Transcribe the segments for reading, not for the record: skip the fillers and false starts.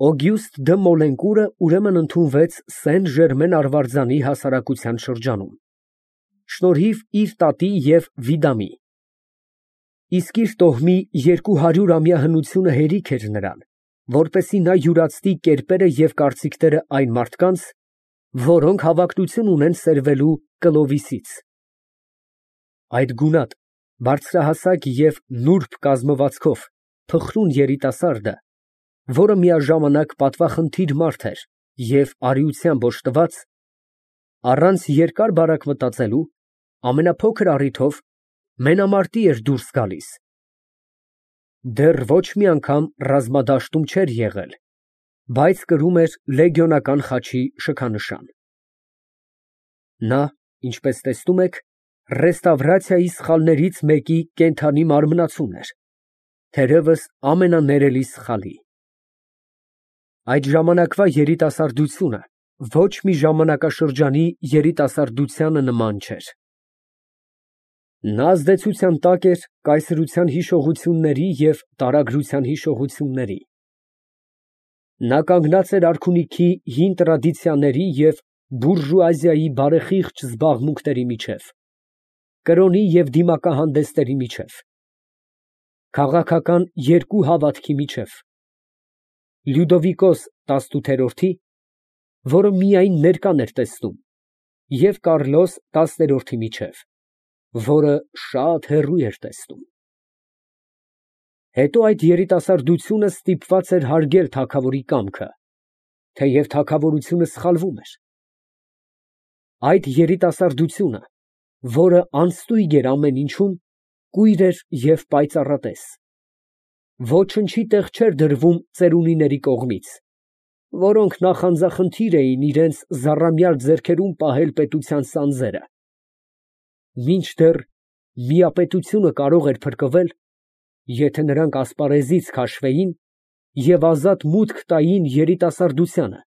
Օգյուստը դը Մոլենկուրը ուրեմն ընդունվեց Սեն֊Ժերմեն արվարձանի հասարակության շրջանում, շնորհիվ իր տատի և Վիդամի, իսկ իր տոհմի 200-ամյա հնությունը հերիք էր նրան, որպեսզի նա յուրացնի կերպերը և կարծիքները այն մարդկանց, որոնք հավակնություն ունեն սերվելու Կլովիսից։ Այդ գունատ, բարձրահասակ և նուրբ կազմվածքով փխրուն երիտասարդը, որը միաժամանակ պատվախնդիր մարդ էր և արիությամբ օժտված, առանց երկար բարակ մտածելու, ամենափոքր առիթով մենամարտի էր դուրս գալիս, դեռ ոչ մի անգամ ռազմադաշտում չէր եղել, բայց կրում էր լեգիոնական խաչի շքանշան։ Նա, ինչպես տեսնում եք, ռեստավրացիայի սխալներից մեկի կենդանի մարմնացուն էր, թերևս ամենաներելի սխալի։ Այդ ժամանակվա երիտասարդությունը ոչ մի ժամանակաշրջանի երիտասարդությանը նման չէր։ Նա ազդեցության տակ էր կայսրության հիշողությունների և տարագրության հիշողությունների։ Նա կանգնած էր արքունիքի հին տրադիցիաների և բուրժուազիայի բարեխիղճ զբաղմունքների միջև, կրոնի և դիմակահանդեսների միջև, քաղաքական երկու հավատքի միջև, Լյուդովիկոս 18-ի, որը միայն ներկան էր տեսնում, և Կարլոս 10-րդի միջև, որը շատ հեռու էր տեսնում։ Հետո այդ երիտասարդությունը ստիպված էր հարգել թագավորի կամքը, թեև թագավորությունը սխալվում էր։ Այդ երիտասարդությունը, որը անստույգ էր ամեն ինչում, կույր էր և պայծառատես, ոչնչի տեղ չէր դրվում ծերունիների կողմից, որոնք նախանձախնդիր էին իրենց զառամյալ ձեռքերում պահել պետության սանձերը, մինչդեռ միապետությունը կարող էր փրկվել, եթե նրանք ասպարեզից քաշվեին և ազատ մուտք տային երիտասարդությանը,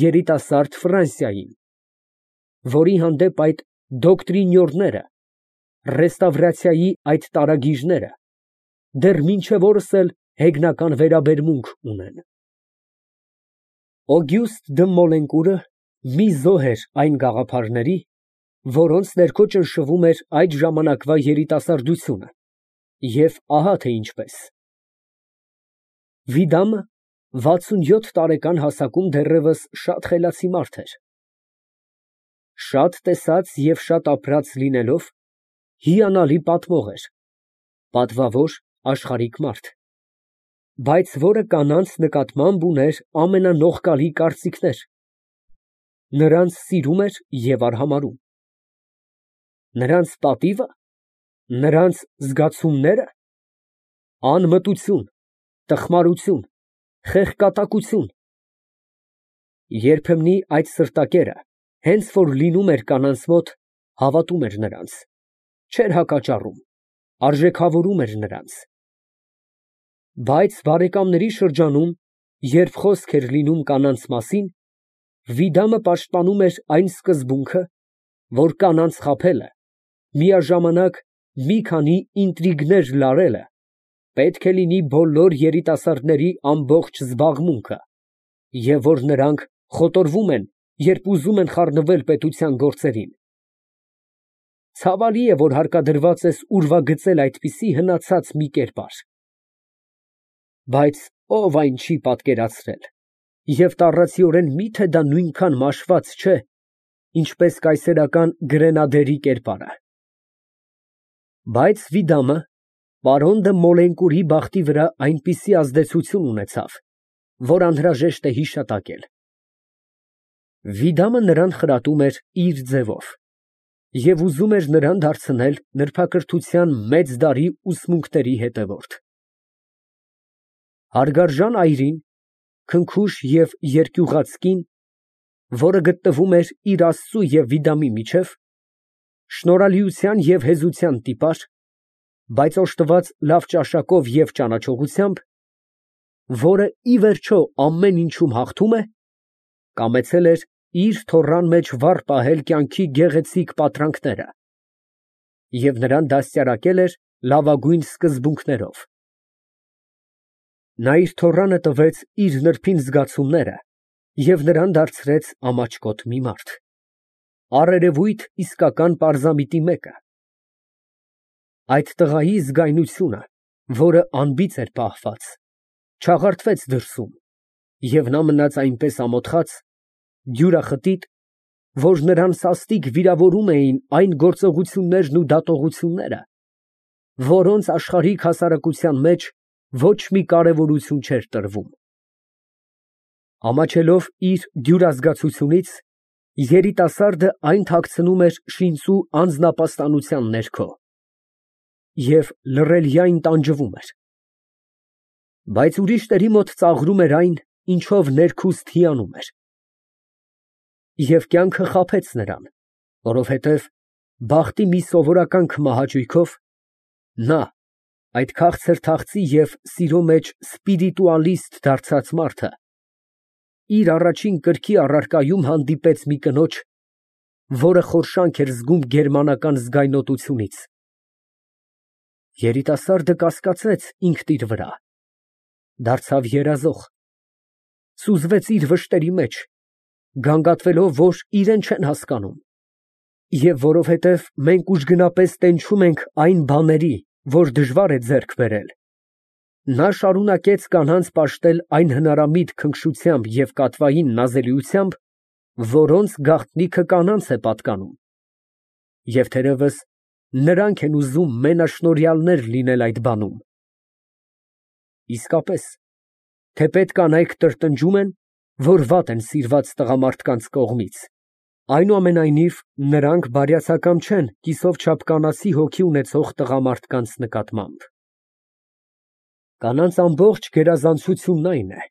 երիտասարդ Ֆրանսիային, որի հանդեպ այդ դոկտրինյորները, ռեստավրացիայի այդ տարագիրները դեռ մինչև օրս էլ հեգնական վերաբերմունք ունեն։ Օգյուստը դը Մոլենկուրը մի զոհ էր այն գաղափարների, որոնց ներքո ճնշվում էր այդ ժամանակվա երիտասարդությունը, և ահա թե ինչպես։ Վիդամը 67 տարեկան հասակում դեռևս շատ խելացի մարդ էր։ Շատ տեսած և շատ ապրած լինելով, հիանալի պատմող էր, պատվավոր, աշխարհիկ մարդ, բայց որը կանանց նկատմամբ ուներ ամենանողկալի կարծիքներ, նրանց սիրում էր և արհամարհում։ Նրանց պատիվը, նրանց զգացումնե՞րը, անմտություն, տխմարություն, խեղկատակություն, երբեմնի այդ սրտակերը, հենց որ լինում էր կանանց մոտ, հավատում էր նրանց, չէր հակաճառում, արժեքավորում էր նրանց։ Բայց բարեկամների շրջանում, երբ խոսք էր լինում կանանց մասին, Վիդամը պաշտպանում էր այն սկզբունքը, որ կանանց խաբելը, միաժամանակ մի քանի ինտրիգներ լարելը պետք է լինի բոլոր երիտասարդների ամբողջ զբաղմունքը, և որ նրանք խոտորվում են, երբ ուզում են խառնվել պետության գործերին։ Ցավալի է, որ հարկադրված ես ուրվագծել այդպիսի հնացած մի կերպար։ Բայց ով այն չի պատկերացրել, և տառացիորեն մի՞թե դա նույնքան մաշված չէ, ինչպես կայսերական գրենադերի կերպարը։ Բայց Վիդամը պարոն դը Մոլենկուրի բախտի վրա այնպիսի ազդեցություն ունեցավ, որ անհրաժեշտ է հիշատակել։ Վիդամը նրան խրատում էր իր ձևով և ուզում էր նրան դարձնել նրբակրթության մեծ դարի ուսմունքների հետևորդ։ Հարգարժան այրին, քնքուշ և երկյուղած կին, որը գտնվում էր իր աստծու և Վիդամի միջև, շնորհալիության և հեզության տիպար, բայց օժտված լավ ճաշակով և ճանաչողությամբ, որը ի վերջո ամեն ինչում հաղթում է, կամեցել էր իր թոռան մեջ վառ պահել կյանքի գեղեցիկ պատրանքները և նրան դաստիարակել էր լավագույն սկզբունքներով։ Նա իր թոռանը տվեց իր նրբին զգացումները և նրան դարձրեց ամաչկոտ մի մարդ, առերևույթ իսկական պարզամիտի մեկը։ Այդ տղայի զգայնությունը, որը անբիծ էր պահված, չաղարթվեց դրսում, և նա մնաց այնպես ամոթխած, դյուրախտիտ, որ նրան սաստիկ վիրավորում էին այն գործողություններն ու դատողությունները, որոնց աշխարհիկ հասարակության մեջ ոչ մի կարևորություն չէր տրվում։ Ամաչելով իր դյուրազգացությունից, երիտասարդը այն թաքցնում էր շինծու անձնապաստանության ներքո և լռելյայն տանջվում էր։ Բայց ուրիշների մոտ ծաղրում էր այն, ինչով ներքուստ հիանում էր։ Եվ կյանքը խաբեց նրան, որովհետև բախտի մի սովորական քմահաճույքով նա, այդ քաղցր թախծի և սիրո մեջ սպիրիտուալիստ դարձած մարդը, իր առաջին կրքի առարկայում հանդիպեց մի կնոջ, որը խորշանք էր զգում գերմանական զգայնոտությունից։ Երիտասարդը կասկածեց ինքն իր վրա, դարձավ երազող, սուզվեց իր վշտերի մեջ, գանգատվելով, որ իրեն չեն հասկանում, և որովհետև մենք ուժգնապես տենչում ենք այն բաների, որ դժվար է ձեռք բերել, նա շարունակեց կանանց պաշտել այն հնարամիտ քնքշությամբ և կատվային նազելիությամբ, որոնց գաղտնիքը կանանց է պատկանում, և թերևս նրանք են ուզում մենաշնորհյալներ լինել այդ բանում։ Իսկապես, թեպետ կանայք տրտնջում են, որ վատ են սիրված տղամարդկանց կողմից, այնուամենայնիվ նրանք բարյացակամ չեն կիսով չափ կանացի հոգի ունեցող տղամարդկանց նկատմամբ։ Կանանց ամբողջ գերազանցությունն այն է,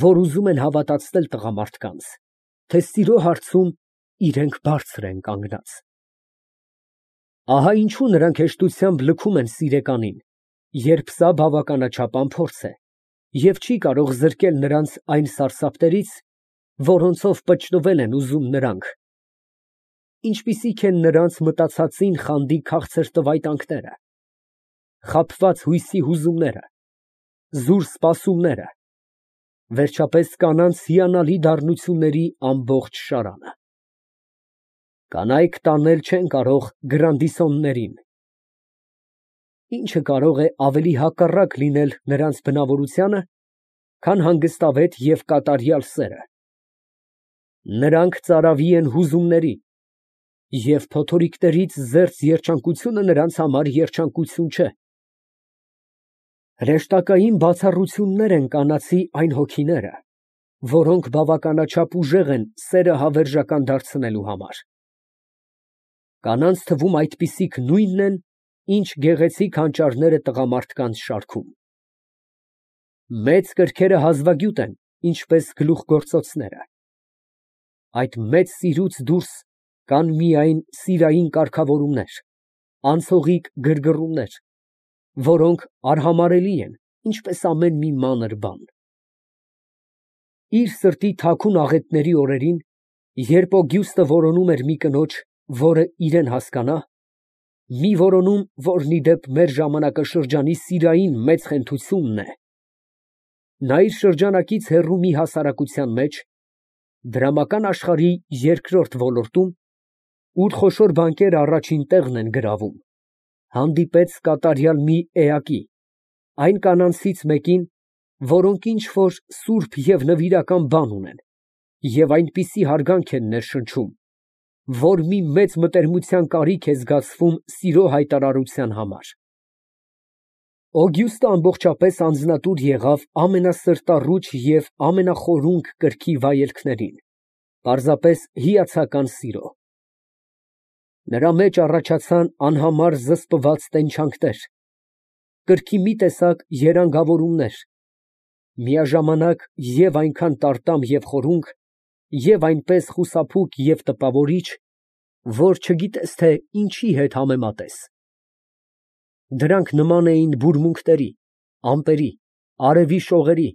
որ ուզում են հավատացնել տղամարդկանց, թե սիրո հարցում իրենք բարձր են կանգնած։ Ահա ինչու նրանք հեշտությամբ լքում են սիրեկանին, երբ սա բավականաչափ անփորձ է և չի կարող զրկել նրանց այն սարսափներից, որոնցով պճտվել են ուզում նրանք, ինչպիսիք են նրանց մտածածին խանդի քաղցր տվայտանքները, խաբված հույսի հուզումները, զուր սպասումները, վերջապես կանանց հիանալի դառնությունների ամբողջ շարանը։ Կանայք տանել չեն կարող գրանդիսոններին, ինչը կարող է ավելի հակառակ լինել նրանց բնավորությանը, քան հանգստավետ և կատարյալ սերը։ Նրանք ծարավի են հուզումների, և փոթորիկներից զերծ երջանկությունը նրանց համար երջանկություն չէ։ Հրեշտակային բացառություններ են կանացի այն հոգիները, որոնք բավականաչափ ուժեղ են սերը հավերժական դարձնելու համար։ Կանանց թվում այդպիսիք նույնն են, ինչ գեղեցիկ հանճարները տղամարդկանց շարքում։ Մեծ կրքերը հազվագյուտ են, ինչպես գլուխգործոցները։ Այդ մեծ սիրուց դուրս կան միայն սիրային կարգավորումներ, անցողիկ գրգռումներ, որոնք արհամարհելի են, ինչպես ամեն մի մանր բան։ Իր սրտի թաքուն աղետների օրերին, երբ Օգյուստը որոնում էր մի կնոջ, որը իրան հասկանա, մի որոնում, որն ի դեպ մեր ժամանակաշրջանի սիրային մեծ խենթությունն է, նա իր շրջանակից հեռու մի հասարակության մեջ, դրամական աշխարհի երկրորդ ոլորտում, ուր խոշոր բանկերը առաջին տեղն են գրավում, հանդիպեց կատարյալ մի էակի, այն կանանցից մեկին, որոնք ինչ֊որ սուրբ և նվիրական բան ունեն և այնպիսի հարգանք են ներշնչում, որ մի մեծ մտերմության կարիք է զգացվում սիրո հայտարարության համար։ Օգյուստը ամբողջապես անձնատուր եղավ ամենասրտառուչ և ամենախորունկ կրքի վայելքներին, պարզապես հիացական սիրո։ Նրա մեջ առաջացան անհամար զսպված տենչանքներ, կրքի մի տեսակ երանգավորումներ, միաժամանակ և այնքան տարտամ և խորունկ, և այնպես խուսափուկ և տպավորիչ, որ չգիտես, թե ինչի հետ համեմատես։ Դրանք նման էին բուրմունքների, ամպերի, արևի շողերի,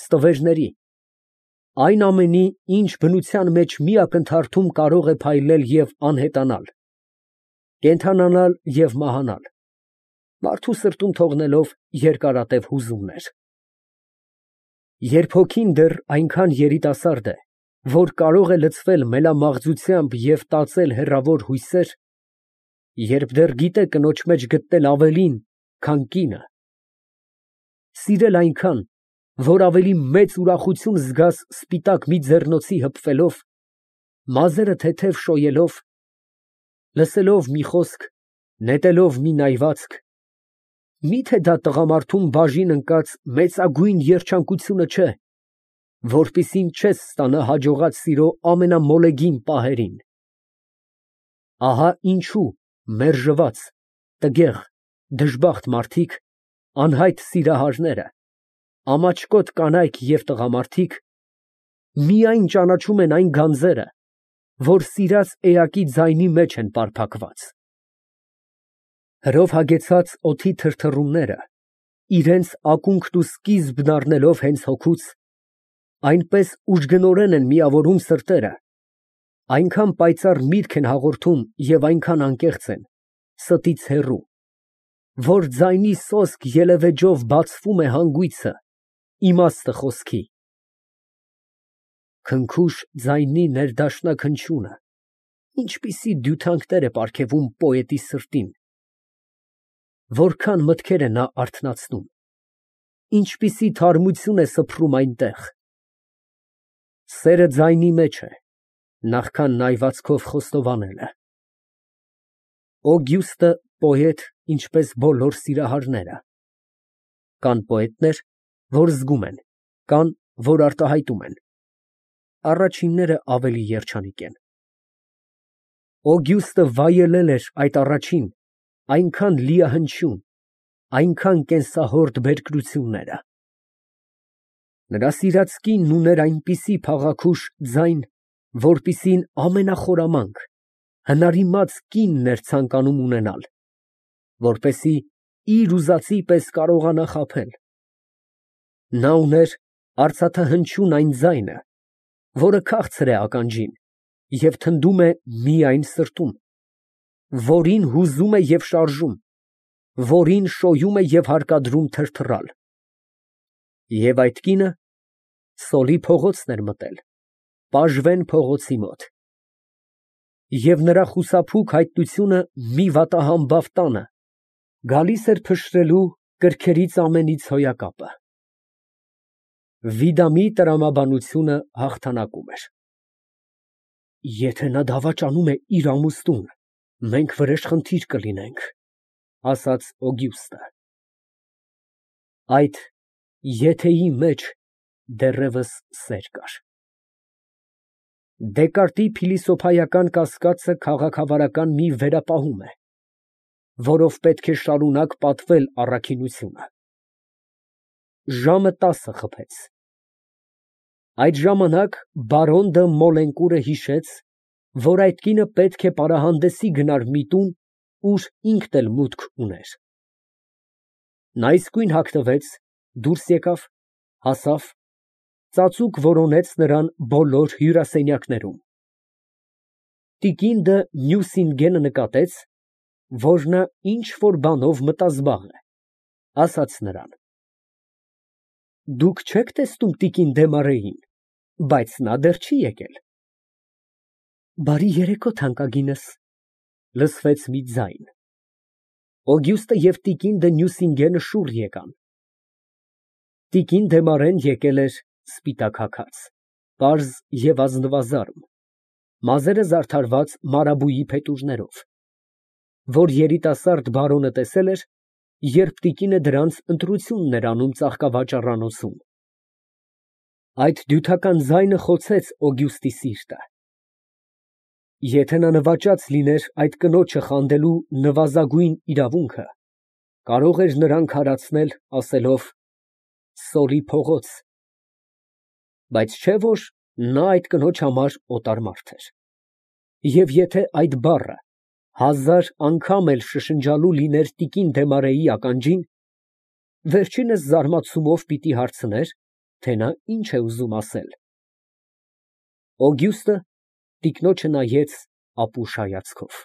ստվերների, այն ամենի, ինչ բնության մեջ մի ակնթարթում կարող է փայլել և անհետանալ, կենդանանալ և մահանալ, մարդու սրտում թողնելով երկարատև հուզումներ։ Երբ հոգին դեռ այնքան երիտասարդ է, որ կարող է լցվել մելամաղձությամբ և տածել հեռավոր հույսեր, երբ դեռ գիտե կնոջ մեջ գտնել ավելին, քան կինը, սիրել այնքան, որ ավելի մեծ ուրախություն զգաս սպիտակ մի ձեռնոցի հպվելով, մազերը թեթև շոյելով, լսելով մի խոսք, նետելով մի նայվածք, միթե դա տղամարդում բաժին ընկած մեծագույն երջանկությունը չէ, որպիսին չես ստանա հաջողած սիրո ամենամոլեգին պահերին։ Ահա ինչու մերժված, տգեղ, դժբախտ մարդիկ, անհայտ սիրահարները, ամաչկոտ կանայք և տղամարդիկ միայն ճանաչում են այն գանձերը, որ սիրած էակի ձայնի մեջ են պարփակված։ Հրով հագեցած օդի թրթռումները, իրենց ակունքն ու սկիզբն առնելով հենց հոգուց, այնպես ուժգնորեն են միավորում սրտերը, այնքան պայծառ միտք են հաղորդում և այնքան անկեղծ են, ստից հեռու, որ ձայնի սոսկ ելևէջով բացվում է հանգույցը, իմաստը խոսքի։ Քնքուշ ձայնի ներդաշնակ հնչյունը ինչպիսի դյութանքներ է պարգևում պոետի սրտին, որքան մտքեր է նա արթնացնում, ինչպիսի թարմություն է սփռում այնտեղ։ Սերը ձայնի մեջ է, նախքան նայվածքով խոստովանելը։ Օգյուստը պոետ, ինչպես բոլոր սիրահարները։ Կան պոետներ, որ զգում են, կան, որ արտահայտում են։ Առաջինները ավելի երջանիկ են։ Օգյուստը վայելել էր այդ առաջին, այնքան լիահնչյուն, այնքան կենսահորդ բերկրությունները։ Նրա սիրած կինն ուներ այնպիսի փաղաքուշ ձայն, որպիսին ամենախորամանկ, հնարիմաց կինն էր ցանկանում ունենալ, որպեսզի իր ուզածի պես կարողանա խաբել։ Նա ուներ արծաթահնչյուն այն ձայնը, որը քաղցր է ականջին և թնդում է միայն սրտում, որին հուզում է և շարժում, որին շոյում է և հարկադրում թրթռալ։ Եվ այդ կինը սոլի փողոցն էր մտել, Պաժվեն փողոցի մոտ։ Եվ նրա խուսափուկ հայտնությունը մի վատահամբավ տանը գալիս էր փշրելու կրքերից ամենից հոյակապը։ Վիդամի տրամաբանությունը հաղթանակում էր։ Եթե նա դավաճանում է իր ամուսնուն, մենք վրեժխնդիր կլինենք, ասաց Օգյուստը։ Այդ եթեի մեջ դեռևս սեր կար։ Դեկարտի փիլիսոփայական կասկածը քաղաքավարական մի վերապահում է, որով պետք է շարունակ պատվել առաքինությունը։ Ժամը 10 խփեց։ Այդ ժամանակ բարոն դը Մոլենկուրը հիշեց, որ այդ կինը պետք է պարահանդեսի գնար մի տուն, ուր ինքն էլ մուտք ուներ։ Նա իսկույն հագնվեց, դուրս եկավ, հասավ, ծածուկ որոնեց նրան բոլոր հյուրասենյակներում։ Տիկին դը Նյուսինգենը նկատեց, որ նա ինչ֊որ բանով մտազբաղ է, ասաց նրան. Դուք չեք տեսնում տիկին Դեմարեին, բայց նա դեռ չի եկել։ Բարի երեկո, թանկագինս, լսվեց մի ձայն։ Օգյուստը և տիկին դը Նյուսինգենը շուռ եկան։ Տիկին Դեմարեն եկել էր սպիտակ հագած, պարզ և ազնվազարդ, մազերը զարդարված մարաբույի փետուրներով, որ երիտասարդ բարոնը տեսել էր, երբ տիկինը դրանց ընտրությունն էր անում ծաղկավաճառանոցում։ Այդ դյութական ձայնը խոցեց Օգյուստի սիրտը։ Եթե նա նվաճած լիներ այդ կնոջը խանդելու նվազագույն իրավունքը, կարող էր նրան քարացնել, ասելով «Սոլի փողոց», բայց չէ որ նա այդ կնոջ համար օտար մարդ էր։ Եվ եթե այդ բառը 1000 անգամ էլ շշնջալու լիներ տիկին Դեմարեի ականջին, վերջինս զարմացումով պիտի հարցներ, թե նա ինչ է ուզում ասել։ Օգյուստը տիկնոջը նայեց ապուշ հայացքով։